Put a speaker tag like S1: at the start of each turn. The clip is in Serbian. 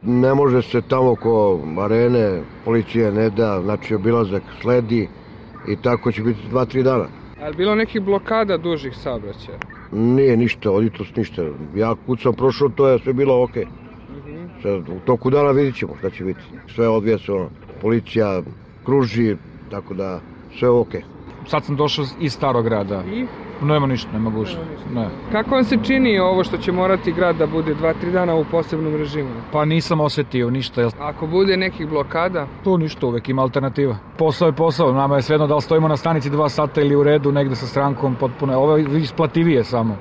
S1: Ne može se tamo oko arene, policija ne da, znači obilazak sledi i tako će biti 2-3 dana.
S2: A je bilo nekih blokada dužih saobraćaja?
S1: Nije ništa, od jutros ništa. Ja kud sam prošao, to je sve bilo okej. Sad, u toku dana vidit ćemo šta će biti. Sve odvija se policija kruži, tako da sve okej.
S3: Sad sam došao iz Starog grada.
S2: I?
S3: Nema ništa, nema gužve. Ne.
S2: Kako vam se čini ovo što će morati grad da bude 2-3 dana u posebnom režimu?
S3: Pa nisam osetio ništa.
S2: Ako bude nekih blokada?
S3: Tu ništa, uvek ima alternativa. Posao je posao, nama je svejedno da li stojimo na stanici 2 sata ili u redu negde sa strankom, potpuno. Ovo je isplativije samo.